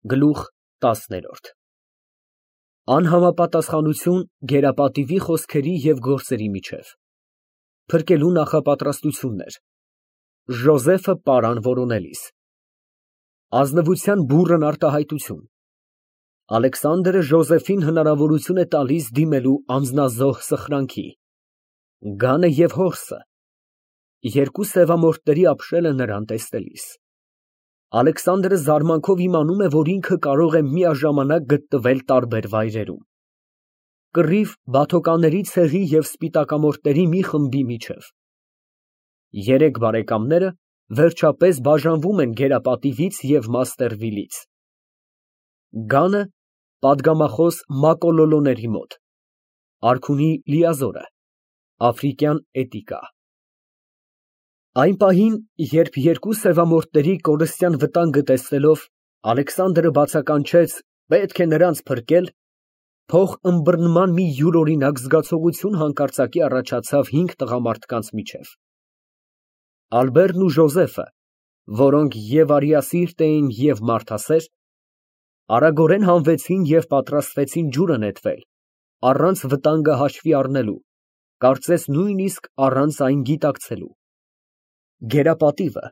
Գլուխ 10 Անհամապատասխանություն գերապատիվի խոսքերի և գործերի միջև, փրկելու նախապատրաստություններ, Ժոզեֆը պարան որոնելիս, ազնվության բուռն արտահայտություն, Ալեքսանդրը Ժոզեֆին հնարավորություն է տալիս դիմելու անձնազոհ սխրանքի, Գանը և հորսը, երկու սևամորթների ապշելը նրան տեսնելիս, Ալեքսանդրը զարմանքով իմանում է, որ ինքը կարող է միաժամանակ գտնվել տարբեր վայրերում, կռիվ բաթոկանների ցեղի և սպիտակամորթների մի խմբի միջև, երեք բարեկամները վերջապես բաժանվում են գերապատիվից և Մաստերվիլից, Գանը պատգամախոս մակոլոլոների մոտ, արքունի լիազորը, աֆրիկյան էտիկա Այն պահին, երբ երկու սևամորթների կորստյան վտանգը տեսնելով, Ալեքսանդրը բացականչեց. պետք է նրանց փրկել, փող ըմբռնման մի յուրօրինակ զգացողություն հանկարծակի առաջացավ 5 տղամարդկանց միջև. Ալբերտն ու Ժոզեֆը, որոնք և արիասիրտ էին և մարդասեր, արագորեն հանվեցին և պատրաստվեցին ջուրը նետվել, առանց վտանգը հաշվի առնելու, կարծես նույնիսկ առանց այն գիտակցելու, գերապատիվը,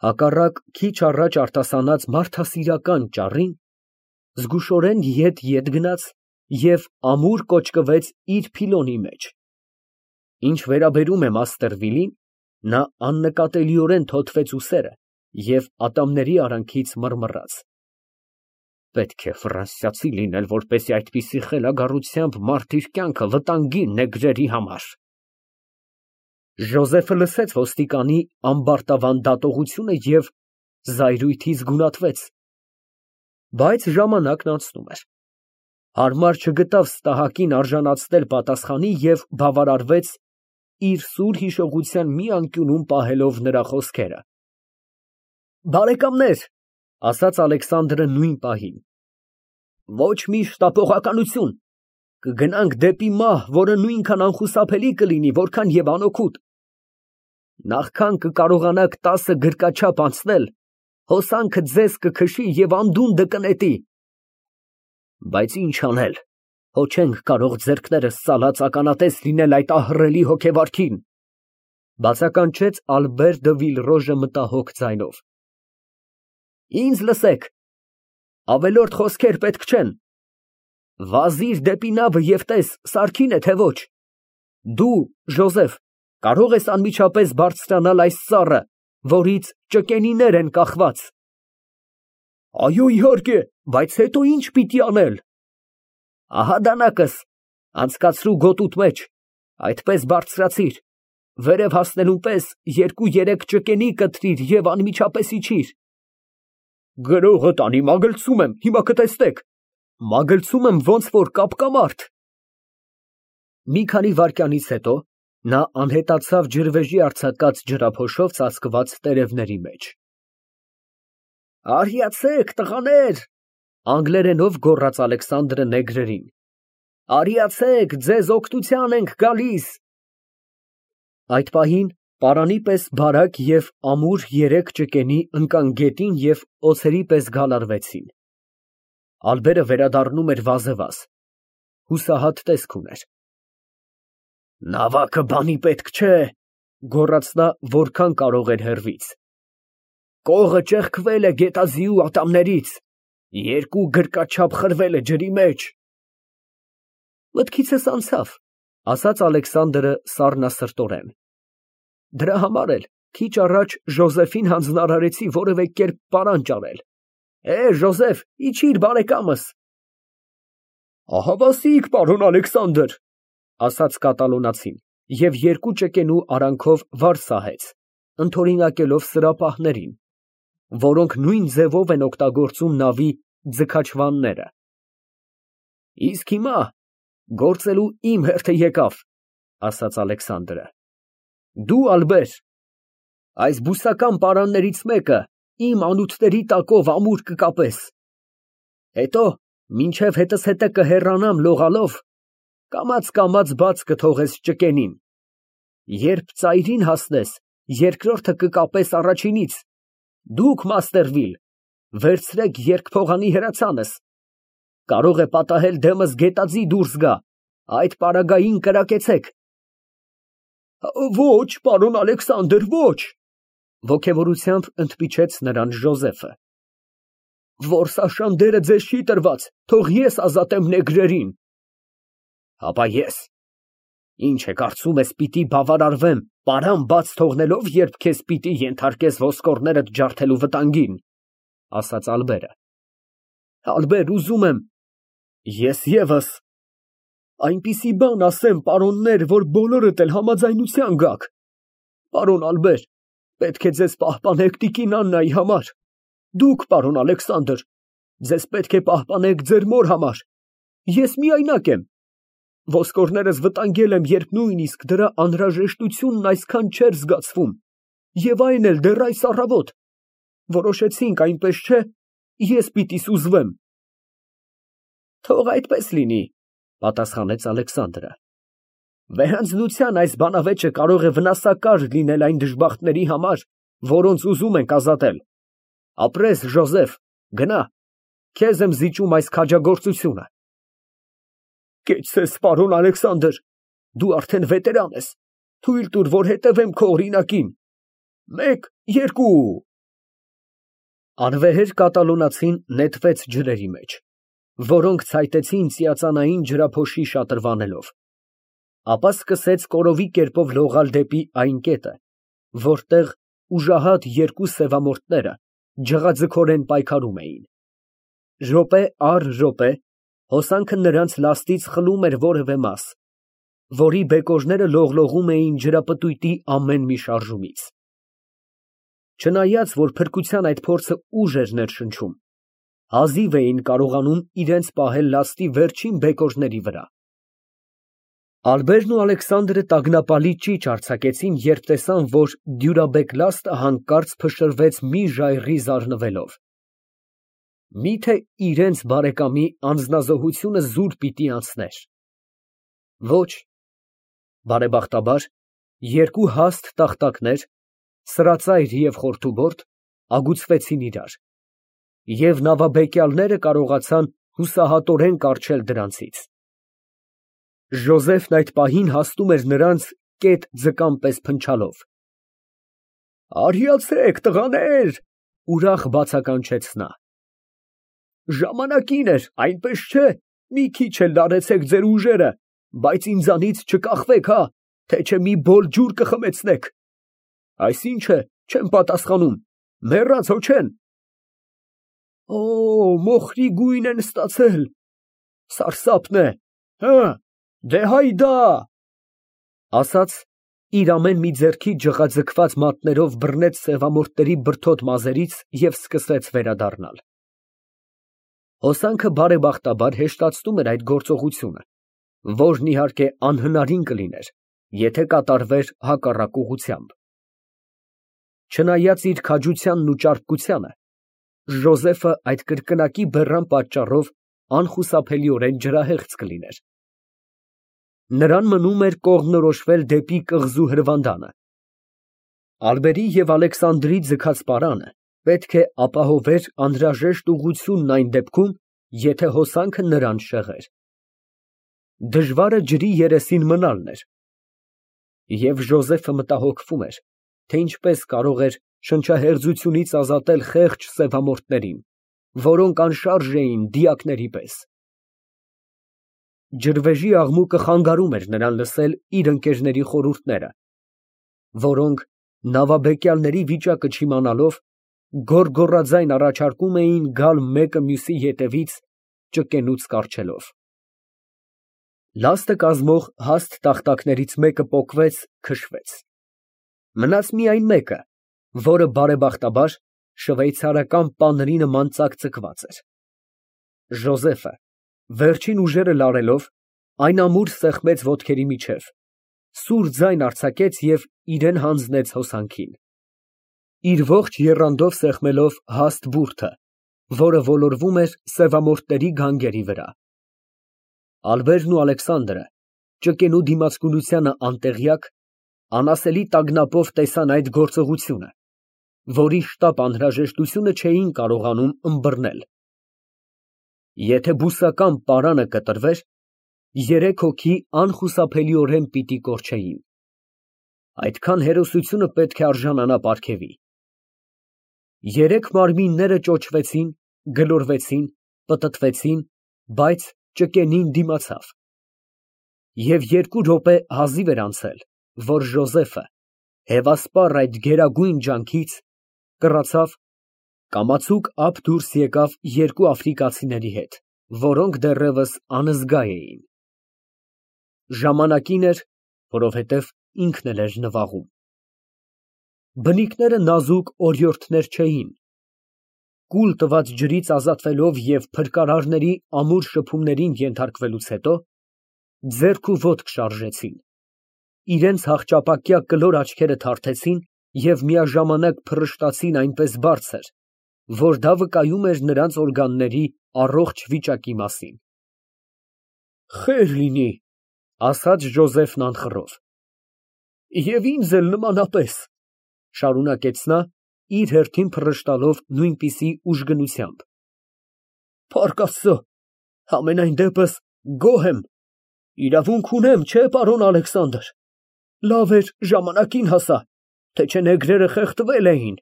հակառակ քիչ առաջ արտասանած մարդասիրական ճառին, զգուշորեն ետ գնաց և ամուր կոճկվեց իր փիլոնի մեջ, ինչ վերաբերում է Մաստերվիլին, նա աննկատելիորեն թոթվեց ուսերը և ատամների արանքից մռմռաց. պետք է ֆրանսիացի լինել, որպեսզի այդպիսի խելագարությամբ մարդ իր կյանքը վտանգի նեգրերի համար։ Ժոզեֆը լսեց ոստիկանի ամբարտավան դատողությունը և զայրույթից գունատվեց, բայց ժամանակն անցնում էր, հարմար չգտավ ստահակին արժանացնել պատասխանի և բավարարվեց իր սուր հիշողության մի անկյունում պահելով նրա խոսքերը։ Բարեկամներ, ասաց Ալեքսանդրը նույն պահին, ոչ մի շտապողականություն, կգնանք դեպի մահ, որը նույնքան անխուսափելի կլինի, որքան և անօգուտ, նախքան կկարողանաք 10 գրկաչափ անցնել, հոսանքը ձեզ կքշի և անդունդը կնետի, բայց ինչ անել, հո չենք կարող ձեռքներս ծալած ականատես լինել այդ ահռելի հոգեվարքին, բացականչեց Ալբեր դը Վիլրոժը մտահոգ ձայնով։ Ինձ լսեք, ավելորդ խոսքեր պետք չեն, վազիր դեպի նավը և տես, սարքին է, թե ոչ, դու, Ժոզեֆ, կարող ես անմիջապես բարձրանալ այս ծառը, որից ճկենիներ են կախված։ Այո, իհարկե, բայց հետո ինչ պիտի անել։ Ահա դանակս, անցկացրու գոտուդ մեջ, այդպես բարձրացիր, վերև հասնելուն պես 2-3 ճկենի կտրիր և անմիջապես իջիր։ Գրողը տանի, մագլցում եմ, հիմա կտեսնեք, մագլցում եմ ոնց որ կապկամարդ։ Մի քանի վայրկյանից հետո նա անհետացավ ջրվեժի արձակած ջրափոշով ծածկված տերևների մեջ։ Արիացեք, տղաներ, անգլերենով գոռաց Ալեքսանդրը նեգրերին, արիացեք, ձեզ օգնության ենք գալիս։ Այդ պահին պարանի պես բարակ և ամուր 3 ճկենի ընկան գետին և օձերի պես գալարվեցին։ Ալբերը վերադառնում էր վազևազ, հուսահատ տեսք ուներ։ Նավակը բանի պետք չէ, գոռաց նա, որքան կարող էր հեռվից, կողը ճեղքվել է գետաձիու ատամներից, 2 գրկաչափ խրվել է ջրի մեջ։ Մտքիցս անցավ, ասաց Ալեքսանդրը սառնասրտորեն, դրա համար էլ քիչ առաջ Ժոզեֆին հանձնարարեցի որևէ կերպ պարան ճարել, Ժոզեֆ, իջիր բարեկամս։ Ահավասիկ, պարոն Ալեքսանդր, ասաց կատալոնացին և 2 ճկենու արանքով վար սահեց, ընդօրինակելով սրապահներին, որոնք նույն ձևով են օգտագործում նավի ձգաչվանները։ Իսկ հիմա գործելու իմ հերթը եկավ, ասաց Ալեքսանդրը, դու, Ալբեր, այս բուսական պարաններից մեկը իմ անոթների տակով ամուր կկապես, հետո մինչև հետզհետե կհեռանամ լողալով, կամաց բաց կթողես ճկենին, երբ ծայրին հասնես, երկրորդը կկապես առաջինից, դուք, Մաստերվիլ, Վերցրեք երկփողանի հրացանս։ Կարող է պատահել դեմս գետաձի դուրս գա, այդ պարագային կրակեցեք։ Ոչ, պարոն Ալեքսանդր, ոչ, ոգևորությամբ ընդպիչեց նրան Ժոզեֆը։ Որսաշանդերը ձեզ չի տրված, թող ես ազատեմ նեգրերին։ Հապա ես։ Ինչ է կարծում ես, պիտի բավարարվեմ, պարան բաց թողնելով, երբ քեզ պիտի ենթարկես ոսկորներդ ջարդելու վտանգին, ասաց Ալբերը։ Ալբեր, ուզում եմ, ես ևս այնպիսի բան ասեմ, պարոններ, որ բոլորդ էլ համաձայնության գաք։ Պարոն Ալբեր, պետք է ձեզ պահպանեք տիկին Աննայի համար։ Դուք, պարոն Ալեքսանդր, ձեզ պետք է պահպանեք ձեր մոր համար։ Ես միայնակ եմ։ Ոսկորներս վտանգել եմ, երբ նույնիսկ դրա անհրաժեշտությունն այսքան չէր զգացվում, եւ այն էլ դեռ այս առավոտ։ Որոշեցինք, այնպես չէ, ես պիտի սուզվեմ։ Թող այդպես լինի, պատասխանեց Ալեքսանդրը։ Վեհանձնության այս բանավեճը կարող է վնասակար լինել այն դժբախտների համար, որոնց ուզում ենք ազատել։ Ապրես, Ժոզեֆ, գնա, քեզ եմ զիջում այս քաջագործությունը։ Կեցցես, պարոն Ալեքսանդր, դու արդեն վետերան ես, թույլ տուր, որ հետևեմ քո օրինակին։ 1, 2 Անվեհեր կատալոնացին նետվեց ջրերի մեջ, որոնք ցայտեցին ծիածանային ջրափոշի շատրվանելով։ Ապա սկսեց կորովի կերպով լողալ դեպի այն կետը, որտեղ ուժահատ երկու սևամորթները ջղաձգորեն պայքարում էին։ Րոպե առ րոպե հոսանքը նրանց լաստից խլում էր որևէ մաս, որի բեկորները լողլողում էին ջրապտույտի ամեն մի շարժումից։ Չնայած, որ փրկության այդ փորձը ուժ էր ներշնչում, հազիվ էին կարողանում իրենց պահել լաստի վերջին բեկորների վրա։ Ալբերն ու Ալեքսանդրը տագնապալի ճիչ արձակեցին, երբ տեսան, որ դյուրաբեկ լաստը հանկարծ փշրվեց մի ժայռի զարնվելով։ Միթե իրենց բարեկամի անձնազոհությունը զուր պիտի անցներ։ Ոչ, բարեբախտաբար, երկու հաստ տախտակներ, սրածայր և խորթուբորդ, ագուցվեցին իրար, և նավաբեկյալները կարողացան հուսահատորեն կառչել դրանցից։ Ժոզեֆն այդ պահին հասնում էր նրանց կետ ձկան պես փնչալով։ Արիացեք, տղաներ, ուրախ բացականչեց նա։ Ժամանակին էր, այնպես չէ, մի քիչ էլ լարեցեք ձեր ուժերը, բայց ինձանից չկախվեք, հա, թե չէ մի բոլ ջուր կխմեցնեք։ Այսինչ է, չեմ պատասխանում, մեռած հո չեն։ Օ, մոխրի գույն են ստացել, սարսափն է, հը, դե հայդա, ասաց, իր ամեն մի ձեռքի ջղաձգված մատներով բռնեց սևամորթների բրդոտ մազերից և սկսեց վերադառնալ։ Հոսանքը բարեբախտաբար հեշտացնում էր այդ գործողությունը, որն իհարկե անհնարին կլիներ, եթե կատարվեր հակառակ ուղղությամբ։ Չնայած իր քաջությանն ու ճարպկությանը, Ժոզեֆը այդ կրկնակի բեռան պատճառով անխուսափելիորեն ջրահեղձ կլիներ։ Նրան մնում էր կողմնորոշվել դեպի կղզու հրվանդանը։ Ալբերի և Ալեքսանդրի ձգած պարանը պետք է ապահովեր անհրաժեշտ ուղղությունն այն դեպքում, եթե հոսանքը նրան շեղեր։ Դժվարը ջրի երեսին մնալն էր։ Եվ Ժոզեֆը մտահոգվում էր, թե ինչպես կարող էր շնչահեղձությունից ազատել խեղճ սևամորթներին, որոնք անշարժ էին դիակների պես։ Ջրվեժի աղմուկը խանգարում էր նրան լսել իր ընկերների խորհուրդները, որոնք, նավաբեկյալների վիճակը չիմանալով, գոռգոռաձայն առաջարկում էին գալ մեկը մյուսի ետևից, ճկենուց կառչելով։ Լաստը կազմող հաստ տախտակներից մեկը պոկվեց, քշվեց։ Մնաց միայն մեկը, որը բարեբախտաբար շվեյցարական պանրի նման ծակծկված էր։ Ժոզեֆը, վերջին ուժերը լարելով, այն ամուր սեղմեց ոտքերի միջև, սուր ձայն արձակեց և իրեն հանձնեց հոսանքին։ Իր ողջ եռանդով սեղմելով հաստ բուրդը, որը ոլորվում էր սևամորթների գանգերի վրա։ Ալբերն ու Ալեքսանդրը, ճկենու դիմացկունությանը անտեղյակ, անասելի տագնապով տեսան այդ գործողությունը որի շտապ անհրաժեշտությունը չէին կարողանում ըմբռնել։ Եթե բուսական պարանը կտրվեր, երեք հոգի անխուսափելիորեն պիտի կորչեին։ Այդքան հերոսությունը պետք է արժանանա պարգևի։ Երեք մարմինները ճոճվեցին, գլորվեցին, պտտվեցին, բայց ճկենին դիմացավ։ Եվ 2 րոպե հազիվ էր անցել, որ Ժոզեֆը, հևասպառ այդ գերագույն ջանքից, կռացավ, կամացուկ ափ դուրս եկավ 2 աֆրիկացիների հետ, որոնք դեռևս անզգա էին։ Ժամանակին էր, որովհետև ինքն էլ էր նվաղում։ Բնիկները նազուկ օրիորդներ չէին։ Կուլ տված ջրից ազատվելով և փրկարարների ամուր շփումներին ենթարկվելուց հետո, ձեռք ու ոտք շարժեցին, իրենց հախճապակյա կլոր աչքերը թարթեցին և միաժամանակ փռշտացին այնպես բարձր, որ դա վկայում էր նրանց օրգանների առողջ վիճակի մասին։ «Խեր լինի», ասաց Ժոզեֆն անխռով։ «Եվ ինձ էլ նմանապես», շարունակեց նա, իր հերթին փռշտալով նույնպիսի ուժգնությամբ։ «Փառք Աստծո, համենայն դեպս գոհ եմ, իրավունք ունեմ, չէ՞, պարոն Ալեքսանդր, լավ էր ժամանակին հասա, թե չէ նեգրերը խեղդվել էին,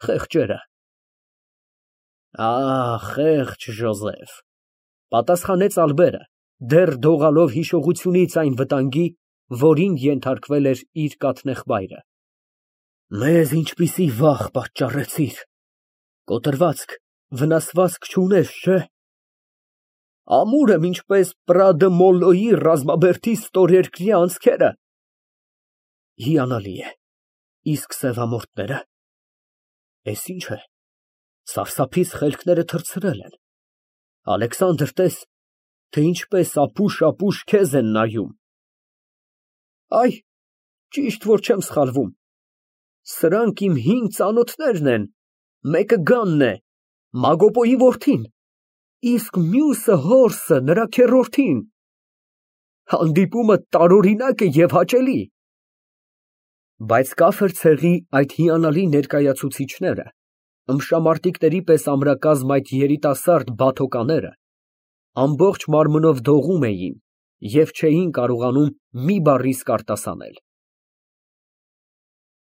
խեղճերը»։ Խեղճ Ժոզեֆ, պատասխանեց Ալբերը, դեռ դողալով հիշողությունից այն վտանգի, որին ենթարկվել էր իր կաթնեխբայրը։ Մեզ ինչպիսի վախ պատճառեցիր, կոտրվածք, վնասվածք չունես, չէ՞։ Ամուր եմ ինչպես Պրադը Մոլլոյի ռազմաբերդի ստորերկրյա անցքերը։ Հիանալի է, իսկ սևամորթները։ Էս ինչ է, սարսափից խելքները թռցրել են։ Ալեքսանդր, տես, թե ինչպես ապուշ քեզ են նայում։ Այ, ճիշտ որ չեմ սխալվում, սրանք իմ 5 ծանոթներն են, մեկը Գանն է, Մագոպոյի որդին, իսկ մյուսը հորսը, նրա քեռորդին։ Հանդիպումը տարօրինակ է և հաճելի։ Բայց կաֆեր ցեղի այդ հիանալի ներկայացուցիչները, ըմբշամարտիկների պես ամրակազմ այդ երիտասարդ բաթոկաները, ամբողջ մարմնով դողում էին և չէին կարողանում մի բառ իսկ արտասանել։